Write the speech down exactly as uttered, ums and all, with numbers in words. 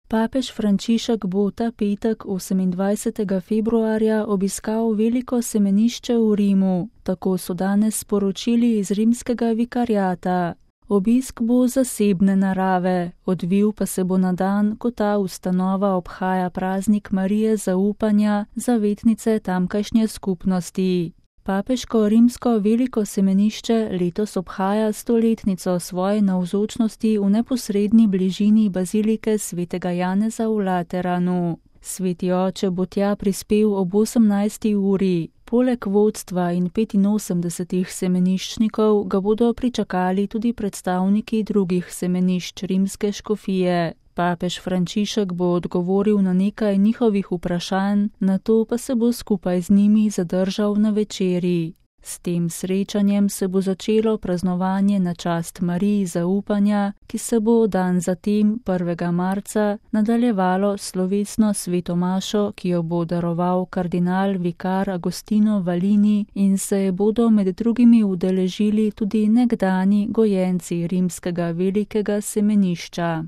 Papež Frančišek bo ta petek osemindvajsetega februarja obiskal veliko semenišče v Rimu, tako so danes sporočili iz rimskega vikariata. Obisk bo zasebne narave, odvil pa se bo na dan, ko ta ustanova obhaja praznik Marije zaupanja, zavetnice tamkajšnje skupnosti. Papeško rimsko veliko semenišče letos obhaja stoletnico svoje navzočnosti v neposredni bližini bazilike svetega Janeza v Lateranu. Sveti oče bo tja prispel ob osemnajsti uri. Poleg vodstva in petinosemdesetih semeniščnikov ga bodo pričakali tudi predstavniki drugih semenišč rimske škofije. Papež Frančišek bo odgovoril na nekaj njihovih vprašanj, nato pa se bo skupaj z njimi zadržal na večeri. S tem srečanjem se bo začelo praznovanje na čast Mariji zaupanja, ki se bo dan zatem prvega marca nadaljevalo slovesno sveto mašo, ki jo bo daroval kardinal vikar Agostino Valini in se je bodo med drugimi udeležili tudi nekdani gojenci rimskega velikega semenišča.